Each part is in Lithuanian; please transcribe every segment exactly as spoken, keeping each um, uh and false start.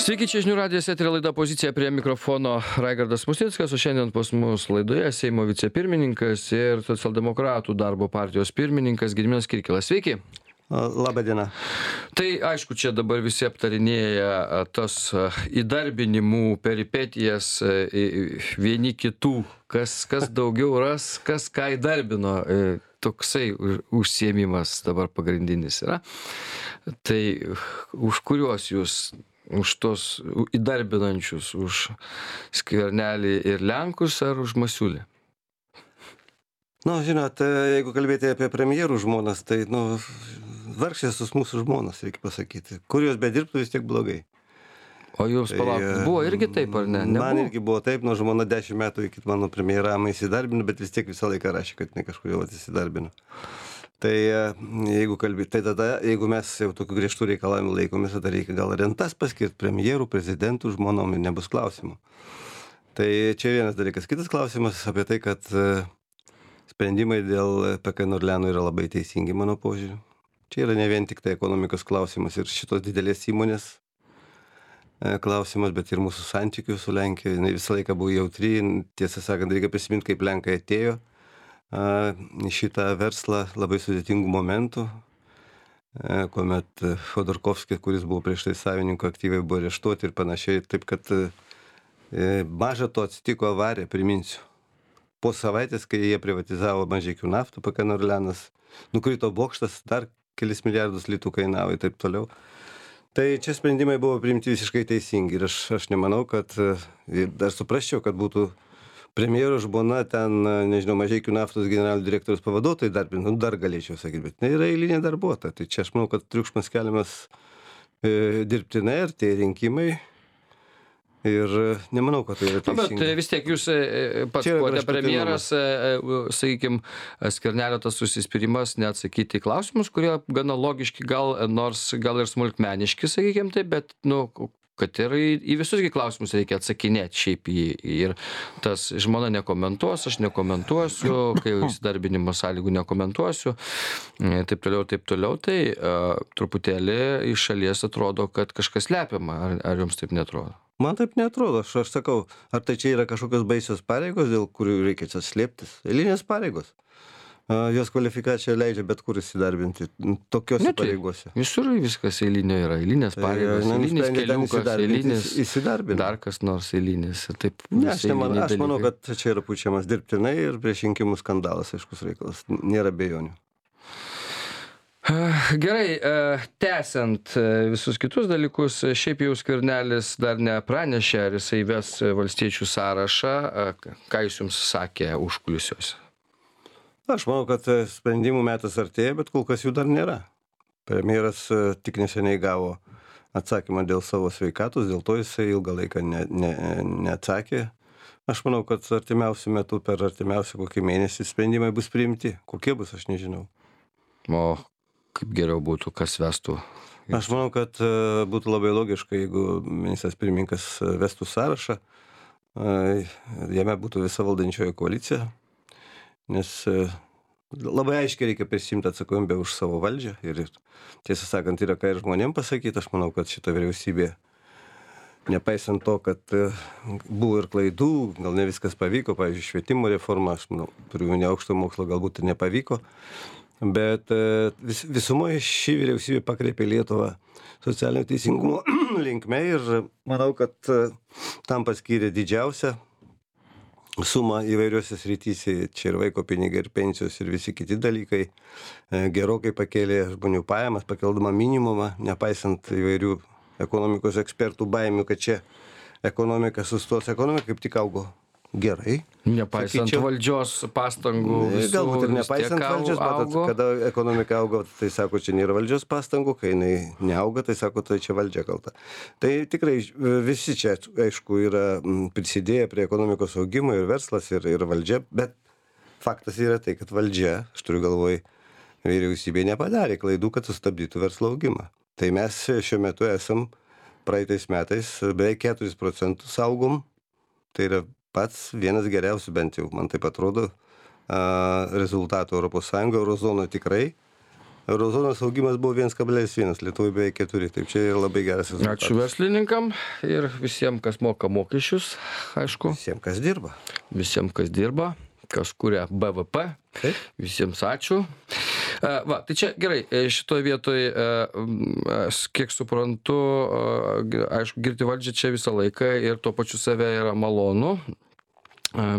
Sveiki, čia žinių radijas, eterio laida Pozicija, prie mikrofono Raigardas Musnickas, o šiandien pas mus laidoje Seimo vicepirmininkas ir socialdemokratų darbo partijos pirmininkas Gediminas Kirkilas. Sveiki. Labą dieną. Tai aišku, čia dabar visi aptarinėja tas įdarbinimų peripetijas vieni kitų, kas, kas daugiau ras, kas ką įdarbino. Toksai užsiėmimas dabar pagrindinis yra. Tai už kuriuos jūs, už tos įdarbinančius, už Skvernelį ir Lenkus ar už Masiulį? Nu, žinot, jeigu kalbėti apie premjerų žmonas, tai, nu, vargšės mūsų žmonas, reikia pasakyti. Kur jos bedirbtų, vis tiek blogai. O jūs Tai, palaukit, buvo irgi taip, ar ne? Nebuvo? Man irgi buvo taip, nu, žmona dešimt metų iki mano premjeravimo įsidarbino, bet vis tiek visą laiką rašė, kad ne kažkodėl įsidarbino. Tai jeigu kalbėti, tai tada, jeigu mes jau tokių griežtų reikalavimų laikomės, tada reikia gal rentas paskirti premjerų, prezidentų, žmonom, nebus klausimų. Tai čia vienas dalykas. Kitas klausimas apie tai, kad sprendimai dėl P K Nordliano yra labai teisingi, mano požiūriu. Čia yra ne vien tik tai ekonomikos klausimas ir šitos didelės įmonės klausimas, bet ir mūsų santykių su Lenkija. Jis visą laiką buvo jautri, tiesą sakant, reikia prisiminti, kaip Lenkai atėjo į šitą verslą labai sudėtingų momentų, kuomet Chodorkovskis, kuris buvo prieš tai savininko, aktyviai buvo areštuoti ir panašiai. Taip kad maža to atsitiko avarija, priminsiu. Po savaitės, kai jie privatizavo Mažeikių naftą, P K Nordlianas, nukrito bokštas, dar kelis milijardus litų kainavo ir taip toliau. Tai čia sprendimai buvo priimti visiškai teisingi ir aš, aš nemanau, kad dar suprasčiau, kad būtų premjero žmona ten, nežinau, Mažeikių naftos generalinio direktoriaus pavaduotojai darbinti, nu, dar galėčiau sakyti, bet tai yra eilinė darbuotoja. Tai čia aš manau, kad triukšmas keliamas e, dirbtinai ir tie rinkimai. Ir nemanau, kad tai yra teisinga. Bet vis tiek jūs pats buvote premjeras, sakykime, Skvernelio tas susispyrimas neatsakyti į klausimus, kurie gana logiški, gal, nors gal ir smulkmeniški, sakykime taip, bet, nu, kad ir į, į visus klausimus reikia atsakinėti šiaip į, ir tas žmona nekomentuos, aš nekomentuosiu, kai įsidarbinimo sąlygų nekomentuosiu, taip toliau, taip toliau, tai uh, truputėlį iš šalies atrodo, kad kažkas slepiama, ar, ar jums taip netrodo? Man taip neatrodo, aš, aš sakau, ar tai čia yra kažkokios baisios pareigos, dėl kurių reikia čia slėptis? Eilinės pareigos. Jos kvalifikacija leidžia bet kur įsidarbinti tokiose pareigose. Visur viskas eilinio yra, eilinės pareigos, tai, eilinis keliukas, eilinis, dar kas nors eilinis. Taip, ne, aš, neman, aš manau, kad čia yra pučiamas dirbtinai ir prieš rinkimų skandalas, aiškus reikalas, nėra abejonių. Gerai, tęsiant visus kitus dalykus, šiaip jau Skvernelis dar nepranešė, ar jisai ves valstiečių sąrašą, ką jis jums sakė užkulisiuose? Aš manau, kad sprendimų metas artėja, bet kol kas jų dar nėra. Premjeras tik neseniai gavo atsakymą dėl savo sveikatos, dėl to jisai ilgą laiką ne, ne, neatsakė. Aš manau, kad artimiausių metų, per artimiausią kokį mėnesį sprendimai bus priimti. Kokie bus, aš nežinau. O kaip geriau būtų, kas vestų? Aš manau, kad būtų labai logiška, jeigu ministras pirmininkas vestų sąrašą, jame būtų visa valdančioji koalicija, nes labai aiškiai reikia prisimti atsakomybę už savo valdžią ir tiesą sakant, yra ką ir žmonėm pasakyti. Aš manau, kad šita vyriausybė, nepaisant to, kad buvo ir klaidų, gal ne viskas pavyko, pavyzdžiui, švietimo reforma, aš manau, turiu ne aukšto mokslo, galbūt ir nepavyko, bet vis, visumoje ši vyriausybė pakreipė Lietuvą socialinio teisingumo linkme ir manau, kad tam paskyrė didžiausią sumą įvairiuose srityse, čia ir vaiko pinigai, ir pensijos, ir visi kiti dalykai, gerokai pakėlė žmonių pajamas, pakeldama minimumą, nepaisant įvairių ekonomikos ekspertų baimių, kad čia ekonomika sustos. Ekonomika kaip tik augo gerai. Nepaisant sakyčiau, valdžios pastangų. Visų, galbūt ir nepaisant valdžios, matot, kada ekonomika auga, tai sako, čia nėra valdžios pastangų, kai jinai neauga, tai sako, tai čia valdžia kalta. Tai tikrai visi čia, aišku, yra prisidėję prie ekonomikos augimo, ir verslas, ir, ir valdžia, bet faktas yra tai, kad valdžia, aš turiu galvoj, vyriausybė nepadarė klaidų, kad sustabdytų verslo augimą. Tai mes šiuo metu esam praeitais metais beveik keturis procentus augom, tai yra pats vienas geriausių, bent jau man taip atrodo, rezultatų Europos Sąjungoje, Eurozonoje tikrai. Eurozonos augimas buvo vienas kablelis vienas, Lietuvoje beveik keturi, taip čia yra labai geras rezultatas. Ačiū verslininkam ir visiems, kas moka mokesčius, aišku. Visiems, kas dirba. Visiems, kas dirba, kas kuria B V P. Taip. Visiems ačiū. Va, tai čia gerai, šitoje vietoje, kiek suprantu, aišku, girti valdžią čia visą laiką ir tuo pačiu save yra malonu,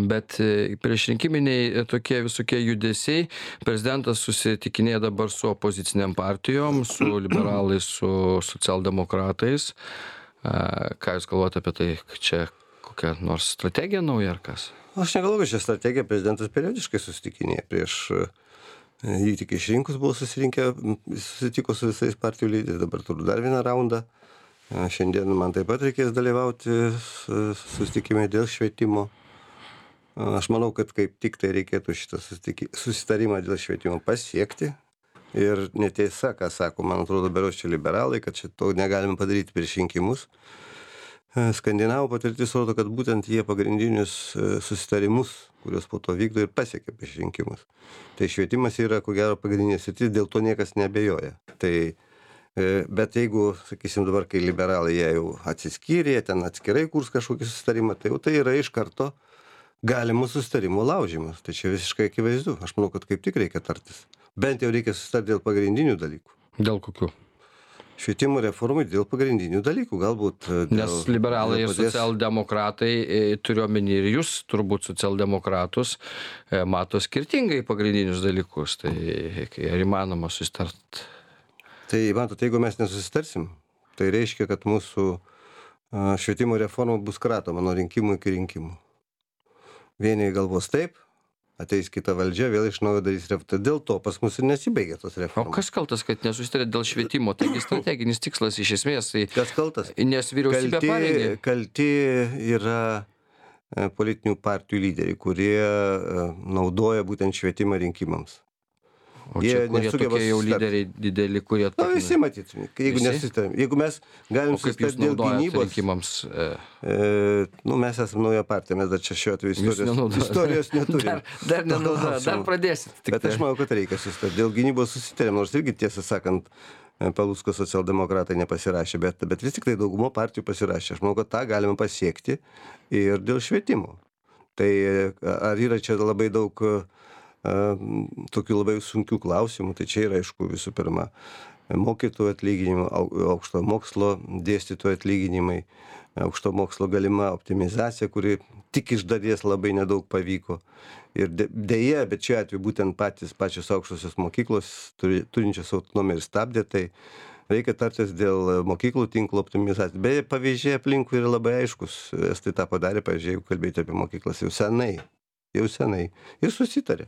bet priešrinkiminiai tokie visokie judesiai, prezidentas susitikinėja dabar su opoziciniam partijom, su liberalais, su socialdemokratais. Ką jūs galvojate apie tai, čia kokia nors strategija nauja ar kas? Aš negalvoju, kad šią strategiją prezidentas periodiškai susitikinėja prieš jį tik išrinkus buvo susirinkę, susitiko su visais partijų lyderiais, dabar turiu dar vieną raundą. Šiandien man taip pat reikės dalyvauti susitikime dėl švietimo. Aš manau, kad kaip tik tai reikėtų šitą susitarimą dėl švietimo pasiekti. Ir netiesa, ką sako, man atrodo, beros čia liberalai, kad šito negalime padaryti prieš rinkimus. Skandinavų patirtis rodo, kad būtent jie pagrindinius susitarimus, kuriuos po to vykdo ir pasiekia prieš rinkimus. Tai švietimas yra, ko gero, pagrindinė sritis, dėl to niekas neabejoja. Tai, bet jeigu, sakysim, dabar, kai liberalai jie jau atsiskyrė, ten atskirai kurs kažkokį susitarimą, tai jau tai yra iš karto galimų susitarimų laužimas. Tai čia visiškai akivaizdu. Aš manau, kad kaip tik reikia tartis. Bent jau reikia susitarti dėl pagrindinių dalykų. Dėl kokių? Švietimo reformai dėl pagrindinių dalykų, galbūt. Dėl, Nes liberalai ir socialdemokratai, turiuomenį ir jūs, turbūt socialdemokratus, mato skirtingai pagrindinius dalykus. Tai ar įmanoma susitart? Tai, matot, jeigu mes nesusitarsim, tai reiškia, kad mūsų švietimo reforma bus kratoma nuo rinkimų iki rinkimų. Vieni galvos taip, ateis kita valdžia, vėl iš naujo darys reformą. Dėl to pas mus ir nesibaigia tos reformos. O kas kaltas, kad nesusitarė dėl švietimo? Taigi strateginis tikslas iš esmės. Tai kas kaltas? Nes vyriausybė parengė. Kalti yra politinių partijų lyderiai, kurie naudoja būtent švietimą rinkimams. O čia kurie tokie jau lyderiai dideli, kurie... Na, visi matyt, jeigu nesitarim. Jeigu mes galim susitart dėl gynybos... rinkimams? E, nu, mes esame nauja partija, mes dar čia šiuo atveju istorijos, istorijos neturim. Dar, dar nenaudoja, dar pradėsit. Bet tai. Aš manau, kad reikia susitart. Dėl gynybos susitarim, nors irgi tiesą sakant, Palucko socialdemokratai nepasirašė, bet, bet vis tik tai daugumo partijų pasirašė. Aš manau, kad tą galime pasiekti ir dėl švietimo. Tai ar yra čia labai daug... tokių labai sunkių klausimų, tai čia yra, aišku, visų pirma, mokytojų atlyginimai, aukšto mokslo dėstytojų atlyginimai, aukšto mokslo galima optimizacija, kuri tik iš dalies labai nedaug pavyko. Ir dėja, bet čia atveju būtent patys, pačios aukštosios mokyklos turi, turinčios autonomiją ir stabdė, tai reikia tartis dėl mokyklų tinklo optimizacijos. Beje, pavyzdžiai aplinkui yra labai aiškus. Estai tą padarė, pavyzdžiui, jeigu kalbėti apie mokyklas jau senai, jau senai. Ir susitarė.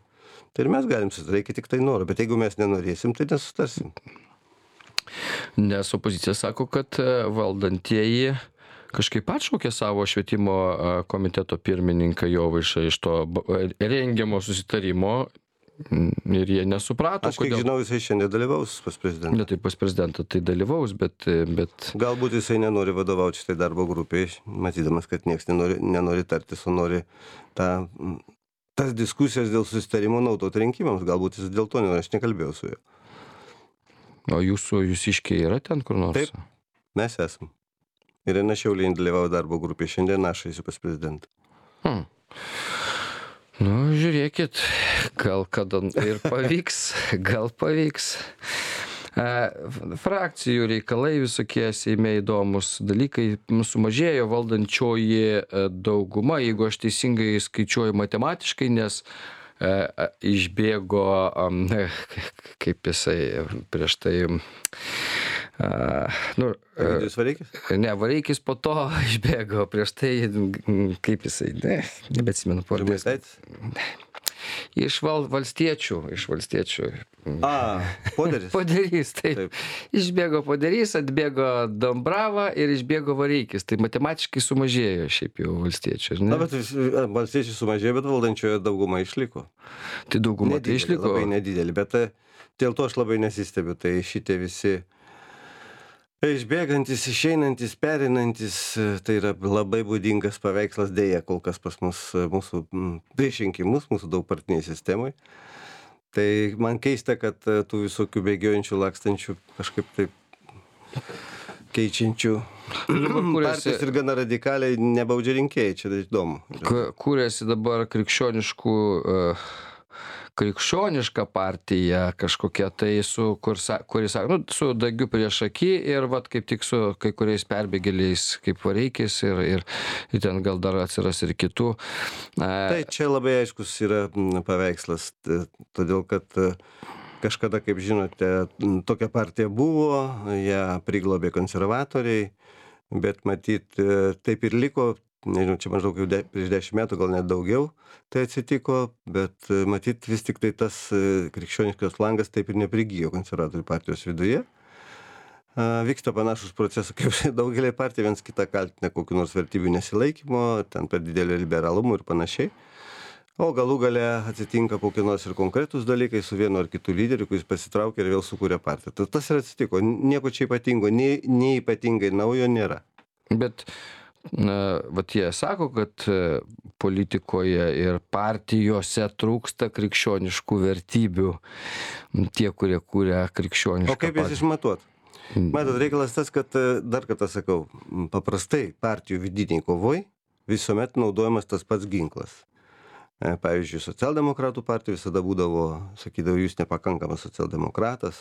Tai ir mes galim susitarti, reikia tik tai noro, bet jeigu mes nenorėsim, tai nesutarsim. Nes opozicija sako, kad valdantieji kažkaip atšaukė savo švietimo komiteto pirmininką Jovaišą iš to rengiamo susitarimo ir jie nesuprato, aš kiek kodėl... žinau, jisai šiandien dalyvaus pas prezidentą. Ne, tai pas prezidentą tai dalyvaus, bet... bet... Galbūt jisai nenori vadovauti šitai darbo grupiai, matydamas, kad niekas nenori, nenori tartis, o nori tą... tas diskusijas dėl susitarimo naudoti rinkimams, galbūt jis dėl to, aš nekalbėjau su juo. O jūsų, jūs iškiai yra ten kur nors? Taip, mes esam. Ir Irena Šiaulienė dalyvavo darbo grupėje, šiandien aš eisiu pas prezidentą. Hmm. Nu, žiūrėkit, gal kada ir pavyks, gal pavyks. Frakcijų reikalai visokie Seime įdomus dalykai, sumažėjo valdančioji dauguma, jeigu aš teisingai skaičiuoju matematiškai, nes e, išbėgo, kaip jisai prieš tai, a, nu, Egidijus Vareikis? Ne, Vareikis po to išbėgo, prieš tai, kaip jisai, ne, nebeatsimenu pavardės. Iš val, valstiečių, iš valstiečių. A, Poderys. Poderys, taip. taip. Išbėgo Poderys, atbėgo Dombrava ir išbėgo Vareikis. Tai matematiškai sumažėjo šiaip jau valstiečių. Na, bet valstiečių sumažėjo, bet valdančioje dauguma išliko. Tai dauguma nedidelė, tai išliko? Labai nedidelį, bet dėl to aš labai nesistebiu. Tai šitie visi išbėgantis, išeinantis, perinantis, tai yra labai būdingas paveikslas dėja kol kas pas mus, mūsų prieš rinkimus, mūsų daugpartiniai sistemai. Tai man keista, kad tų visokių bėgiojančių, lakstančių, kažkaip taip keičiančių partijos ir gana radikaliai nebaudžia rinkėjai, čia įdomu. Kūrėsi dabar krikščioniškų, krikščioniška partija kažkokia, tai su, kur, kuris, nu, su Dagiu prieš akį ir vat kaip tik su kai kuriais perbėgėliais kaip Vareikis ir, ir, ir ten gal dar atsiras ir kitų. Tai čia labai aiškus yra paveikslas, todėl kad kažkada, kaip žinote, tokia partija buvo, ją priglobė konservatoriai, bet matyt taip ir liko. Nežinau, čia maždaug jau de, prieš dešimt metų, gal net daugiau tai atsitiko, bet matyt vis tik tai tas krikščioniškas langas taip ir neprigijo konservatorių partijos viduje. Vyksta panašus procesas kaip daugelį partijų, viens kitą kaltina kokiu nors vertybių nesilaikymo, ten per didelį liberalumų ir panašiai. O galų gale atsitinka kokie nors ir konkretūs dalykai su vienu ar kitu lyderiu, kuris pasitraukia ir vėl sukūrė partiją. Tas ir atsitiko. Nieko čia ypatingo, nei, nei ypatingai naujo nėra. Bet na, vat jie sako, kad politikoje ir partijose trūksta krikščioniškų vertybių, tie, kurie kūrė krikščionišką partiją. O kaip jas išmatuot? Matot, reikalas tas, kad, dar kartą sakau, paprastai partijų vidiniai kovoj visuomet naudojamas tas pats ginklas. Pavyzdžiui, socialdemokratų partija visada būdavo, sakydavo, jūs nepakankamas socialdemokratas,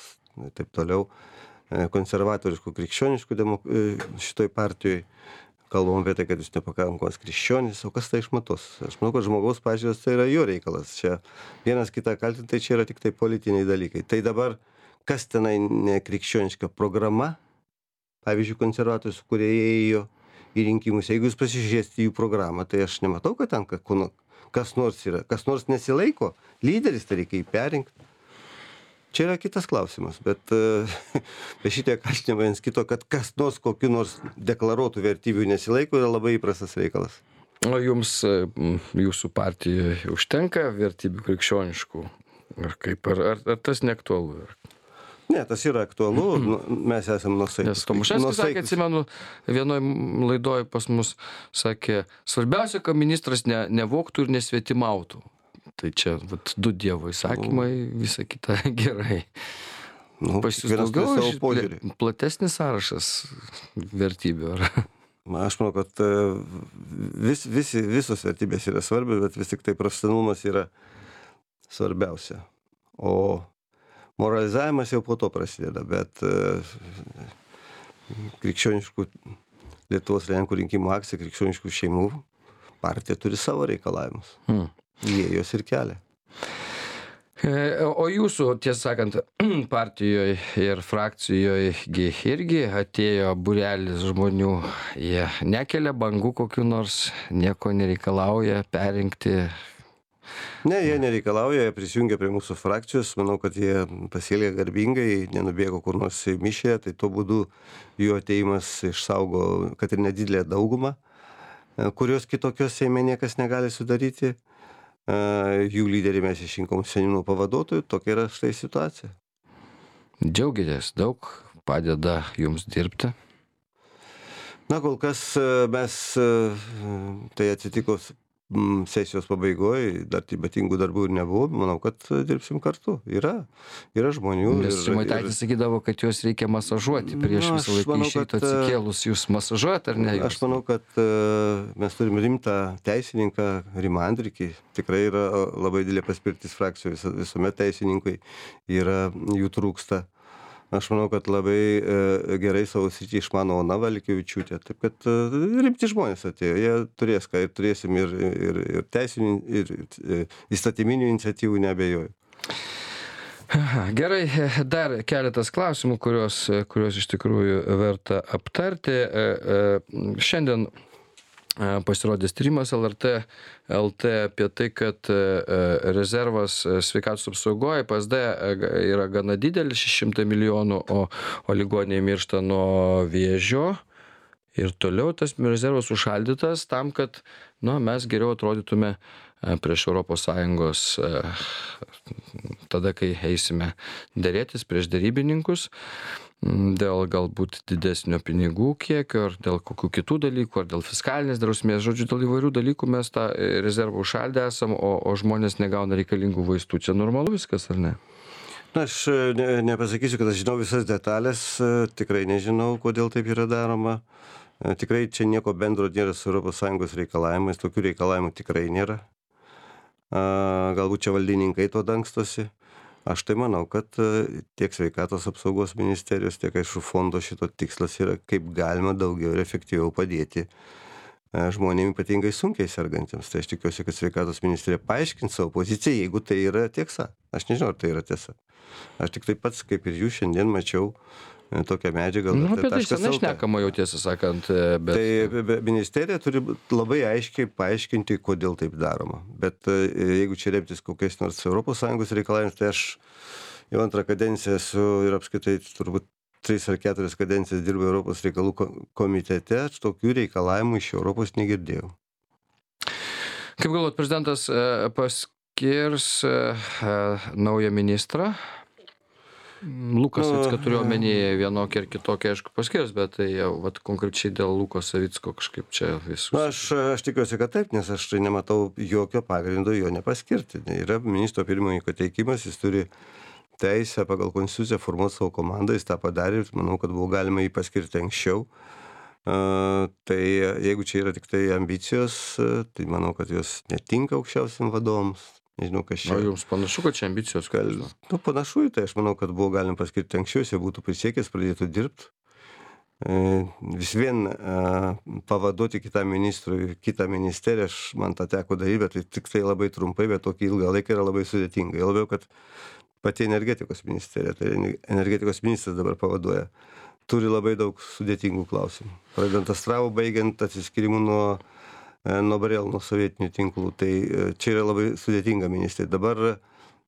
taip toliau, konservatoriškų, krikščioniškų demok... šitoj partijoj. Kalbam apie tai, kad jūs nepakankamas krikščionis, o kas tai išmatos? Aš manau, kad žmogaus pažiūros tai yra jo reikalas. Čia vienas kitą kaltinti, tai čia yra tik tai politiniai dalykai. Tai dabar, kas tenai nekrikščioniška programa, pavyzdžiui, konservatorius, kurie ėjo į rinkimus, jeigu jūs pasižiūrėsite jų programą, tai aš nematau, kad ten kas nors yra, kas nors nesilaiko, lyderis, tai reikia jį perrinkti. Čia yra kitas klausimas, bet be šitie kaltinimai viens kito, kad kas nors kokiu nors deklaruotų vertybių nesilaiko, yra labai įprastas reikalas. O jums, jūsų partijoje užtenka vertybių krikščioniškų? Ar kaip, ar, ar, ar tas neaktualu? Ne, tas yra aktualu, mes esame nuosaikus. Nes Tomaševskis sakė, atsimenu, vienoj laidoj pas mus sakė, svarbiausia, kad ministras ne, nevoktų ir nesvetimautų. Tai čia vat, du Dievo įsakymai, visa kita gerai. Nu, pas jūs daugiau ple, platesnis sąrašas vertybių, ar? Aš manau, kad vis, visi, visos vertybės yra svarbios, bet vis tik tai profesionalumas yra svarbiausia. O moralizavimas jau po to prasideda, bet krikščioniškų Lietuvos Lenkų rinkimų akcija, krikščioniškų šeimų partija turi savo reikalavimus. Hmm. Jie jos ir kelia. O jūsų, tiesą sakant, partijoje ir frakcijoje irgi atėjo būrelis žmonių, jie nekelia bangų kokių nors, nieko nereikalauja perrinkti. Ne, jie nereikalauja, jie prisijungia prie mūsų frakcijos, manau, kad jie pasielgia garbingai, nenubėgo kur nors į mišę, tai tuo būdu jų ateimas išsaugo, kad ir nedidelę daugumą, kurios kitokios Seime niekas negali sudaryti. Jų lyderį mes išrinkom seniūnų pavaduotojų, tokia yra štai situacija. Džiaugiatės, daug padeda jums dirbti? Na, kol kas mes, tai atsitiko sesijos pabaigoje, dar ypatingų darbų ir nebuvo, manau, kad dirbsim kartu. Yra, yra žmonių. Nes Žemaitaitis sakydavo, kad juos reikia masažuoti prieš Na, visą laiką išeiti atsikėlus. Jūs masažuojat ar ne? Jūs? Aš manau, kad uh, mes turim rimtą teisininką, Rimą Andrikį. Tikrai yra labai didelė paspirtis frakcijų, vis, visuomet teisininkai yra, jų trūksta. Aš manau, kad labai e, gerai savo sritį išmano Ona Valiukevičiūtė. Taip kad e, rimti žmonės atėjo. Jie turės, ką ir turėsim ir, ir, ir teisinių, ir e, įstatyminių iniciatyvų, neabejoju. Gerai, dar keletas klausimų, kuriuos, kuriuos iš tikrųjų verta aptarti. E, e, šiandien pasirodęs tyrimas L R T L T apie tai, kad rezervas sveikatos apsaugoje P S D yra gana didelis, šeši šimtai milijonų, o, o ligoniai miršta nuo vėžio. Ir toliau tas rezervas užšaldytas tam, kad nu, mes geriau atrodytume prieš Europos Sąjungos tada, kai eisime dėrėtis prieš derybininkus. dėl galbūt didesnio pinigų kiekio, ar dėl kokių kitų dalykų, ar dėl fiskalinės drausmės. Žodžiu, dėl įvairių dalykų mes tą rezervą užšaldę esam, o, o žmonės negauna reikalingų vaistų. Čia normalu viskas, ar ne? Na, aš ne, nepasakysiu, kad aš žinau visas detalės, tikrai nežinau, kodėl taip yra daroma. Tikrai čia nieko bendro nėra su Europos Sąjungos reikalavimais, tokių reikalavimų tikrai nėra. Galbūt čia valdininkai to dangstosi. Aš tai manau, kad tiek sveikatos apsaugos ministerijos, tiek aišku fondo šito tikslas yra kaip galima daugiau ir efektyviau padėti žmonėms ypatingai sunkiai sergantiems. Tai aš tikiuosi, kad sveikatos ministerija paaiškins savo poziciją, jeigu tai yra tiesa. Aš nežinau, ar tai yra tiesa. Aš tik taip pats, kaip ir jūs šiandien mačiau tokią medžiagą. Nu, apie tai senai šnekama jau, tiesą sakant. Bet... Tai ministerija turi labai aiškiai paaiškinti, kodėl taip daroma. Bet jeigu čia remtis kokiais nors Europos Sąjungos reikalavimus, tai aš jau antrą kadenciją esu ir apskaitai turbūt tris ar keturias kadencijas dirbu Europos reikalų komitete, aš tokių reikalavimų iš Europos negirdėjau. Kaip galvot, prezidentas paskirs naują ministrą? Lukas Savicką turiu omenyje vienokį ir kitokį, aišku, paskirs, bet tai jau vat, konkrečiai dėl Luko Savicko kažkaip čia visus. Na, aš, aš tikiuosi, kad taip, nes aš nematau jokio pagrindo jo nepaskirti. Yra ministro pirmininko teikimas, jis turi teisę pagal konstituciją formuoti savo komandą, jis tą padarė ir manau, kad buvo galima jį paskirti anksčiau. Uh, tai jeigu čia yra tik tai ambicijos, uh, tai manau, kad jos netinka aukščiausiam vadovams. Nežinau, kas čia. O jums panašu, kad čia ambicijos? Gal, nu, panašu, tai aš manau, kad buvo galima paskirti anksčiau, jie būtų prisiekęs, pradėtų dirbti. E, vis vien e, pavaduoti kitą ministrui, kitą ministeriją, aš man tą teko daryti, bet tai tik tai labai trumpai, bet tokį ilgą laiką yra labai sudėtinga. Jau labiau, kad pati energetikos ministerija, tai energetikos ministras dabar pavaduoja, turi labai daug sudėtingų klausimų. Pradedant Astravu, baigiant atsiskyrimų nuo nuo Barėl, nuo sovietinių tinklų. Tai čia yra labai sudėtinga ministerija. Dabar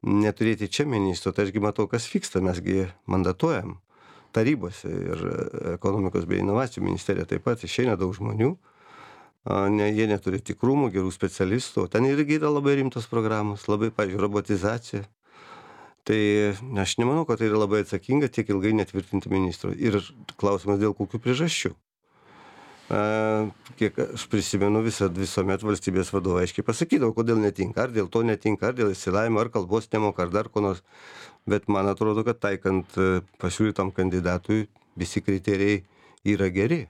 neturėti čia ministro, tai ašgi matau, kas vyksta. Mesgi mandatuojam tarybose ir ekonomikos bei inovacijų ministerija taip pat išeina daug žmonių. Ne, jie neturi tikrumų, gerų specialistų. Ten irgi yra labai rimtos programos, labai, pavyzdžiui, robotizacija. Tai aš nemanau, kad tai yra labai atsakinga tiek ilgai netvirtinti ministro. Ir klausimas dėl kokių priežasčių. Kiek aš prisimenu, visą, visuomet valstybės vadovai aiškiai pasakydavo, kodėl netinka, ar dėl to netinka, ar dėl išsilavinimo, ar kalbos nemoka, ar dar ko nors. Bet man atrodo, kad taikant pasiūlytam kandidatui visi kriterijai yra geri.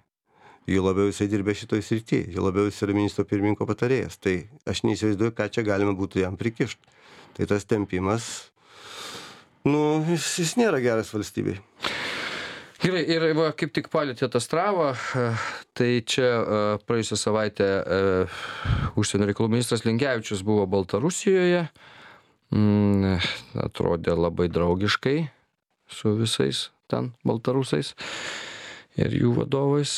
Jo labiau jisai dirbė šitoj srityje, jo labiau jis yra ministro pirmininko patarėjas. Tai aš neįsivaizduoju, ką čia galima būtų jam prikišti. Tai tas tempimas, nu, jis, jis nėra geras valstybei. Gerai, ir va, kaip tik palėtėt Astravą, tai čia praėjusią savaitę užsienio reikalų ministras Linkevičius buvo Baltarusijoje, mm, atrodė labai draugiškai su visais ten baltarusais ir jų vadovais.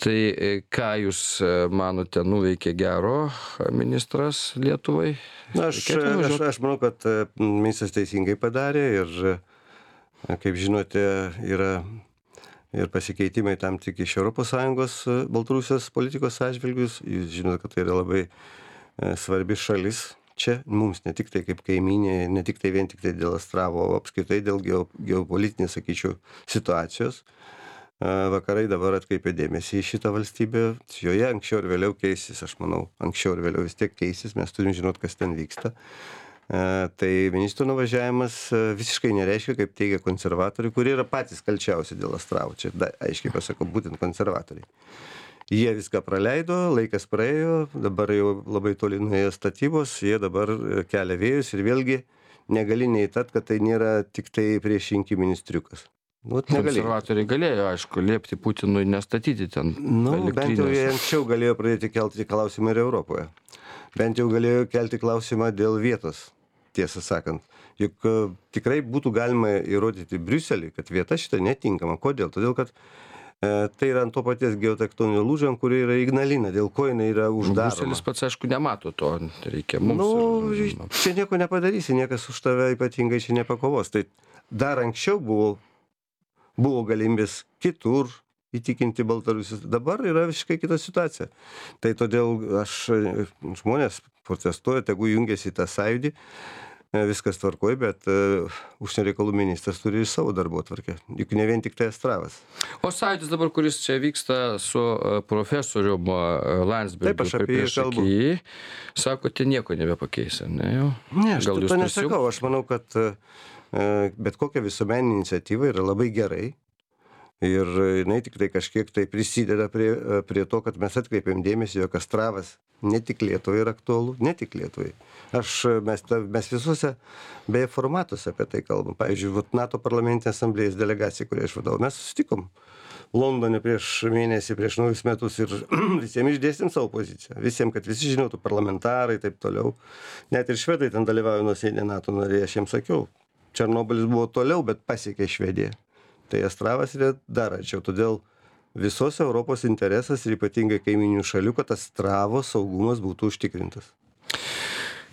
Tai ką jūs manote, nuveikė gero ministras Lietuvai? Na, aš, aš, aš manau, kad ministras teisingai padarė ir, kaip žinote, yra ir pasikeitimai tam tik iš Europos Sąjungos Baltarusijos politikos atžvilgius. Jūs žinote, kad tai yra labai svarbi šalis čia, mums ne tik tai kaip kaimynė, ne tik tai vien tik tai dėl Astravo, o apskritai dėl geopolitinės, sakyčiau, situacijos. Vakarai dabar atkreipė dėmesį į šitą valstybę, joje anksčiau ir vėliau keisis, aš manau, anksčiau ir vėliau vis tiek keisis, mes turim žinot, kas ten vyksta. Tai ministro nuvažiavimas visiškai nereiškia, kaip teigia konservatoriai, kurie yra patys kalčiausi dėl Astravo. Čia da, aiškiai pasakau, būtent konservatoriai. Jie viską praleido, laikas praėjo, dabar jau labai toli nuėjo statybos, jie dabar kelia vėjus ir vėlgi negali neįtat, kad tai nėra tik tai priešrinkiminis triukas. Nu, konservatoriai galėjo, aišku, liepti Putinui nestatyti ten. Nu, bent jau jie anksčiau galėjo pradėti kelti klausimą ir Europoje. Bent jau galėjo kelti klausimą dėl vietos, tiesą sakant. Juk uh, tikrai būtų galima įrodyti Briuselį, kad vieta šita netinkama. Kodėl? Todėl, kad uh, tai yra ant to paties geotektoninio lūžio, ant kurio yra Ignalina, dėl ko jinai yra uždaroma. Briuselis pats, aišku, nemato to, reikia mums. Nu, čia nieko nepadarysi, niekas už tave ypatingai čia nepakovos. Tai dar anksčiau buvo, buvo galimybės kitur įtikinti Baltarusius. Dabar yra visiškai kita situacija. Tai todėl aš, žmonės protestuoja, tegu jungiasi į tą sąjūdį. viskas tvarkoj, bet uh, užsienio reikalų ministras turi savo darbotvarkę. Juk ne vien tik tai Astravas. O sąjūdis dabar, kuris čia vyksta su profesorium Landsbergiu. Taip, aš apie jį kalbu. Sako, tai nieko nebepakeis, ne jau? Ne, aš to nesakau. Aš manau, kad uh, bet kokia visuomeninė iniciatyva yra labai gerai. Ir jinai tik tai kažkiek tai prisideda prie, prie to, kad mes atkreipiam dėmesį, jog Astravas ne tik Lietuvai yra aktualu, ne tik Lietuvai. Aš, mes, mes visuose beje formatuose apie tai kalbam. Pavyzdžiui, NATO parlamentinės asamblėjos delegacija, kurią aš vadovau, mes susitikom Londone prieš mėnesį, prieš naujus metus ir visiems išdėstėm savo poziciją. Visiems, kad visi žinotų, parlamentarai, taip toliau. Net ir švedai ten dalyvauja nuosėdė NATO nariai, aš jiems sakiau. Černobylis buvo toliau, bet pasiekė Švediją. Tai Astravas yra dar arčiau. Todėl visos Europos interesas ir ypatingai kaiminių šalių, kad Astravo saugumas būtų užtikrintas.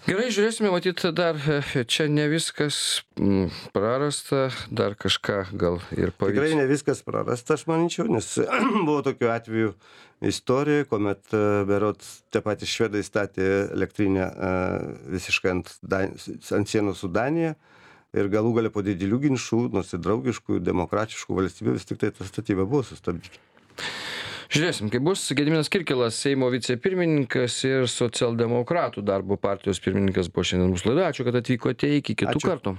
Gerai, žiūrėsime, matyt, dar čia ne viskas prarasta, dar kažką gal ir pavyks. Tikrai ne viskas prarasta, aš manyčiau, nes buvo tokių atvejų istorijoje, kuomet berods tie patys švedai statė elektrinę visiškai ant, ant sienos su Danija. Ir galų galia po didelių ginčių, nors ir draugiškų, demokratiškų valstybių, vis tik tai ta statyba buvo sustabdyta. Žiūrėsim, kaip bus. Gediminas Kirkilas, Seimo vicepirmininkas ir socialdemokratų darbo partijos pirmininkas buvo šiandien mūsų laidoje. Ačiū, kad atvykote, iki kitų Ačiū. kartų.